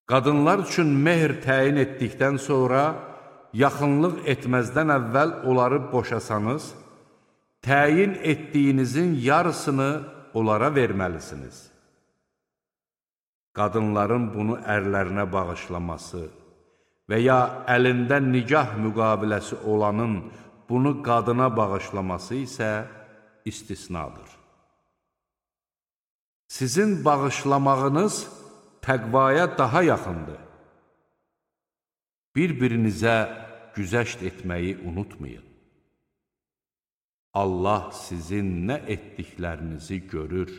Qadınlar üçün mehr təyin etdikdən sonra, yaxınlıq etməzdən əvvəl onları boşasanız, təyin etdiyinizin yarısını onlara verməlisiniz. Qadınların bunu ərlərinə bağışlaması və ya əlində nikah müqaviləsi olanın bunu qadına bağışlaması isə istisnadır. Sizin bağışlamağınız təqvaya daha yaxındır. Bir-birinizə güzəşt etməyi unutmayın. Allah sizin nə etdiklərinizi görür.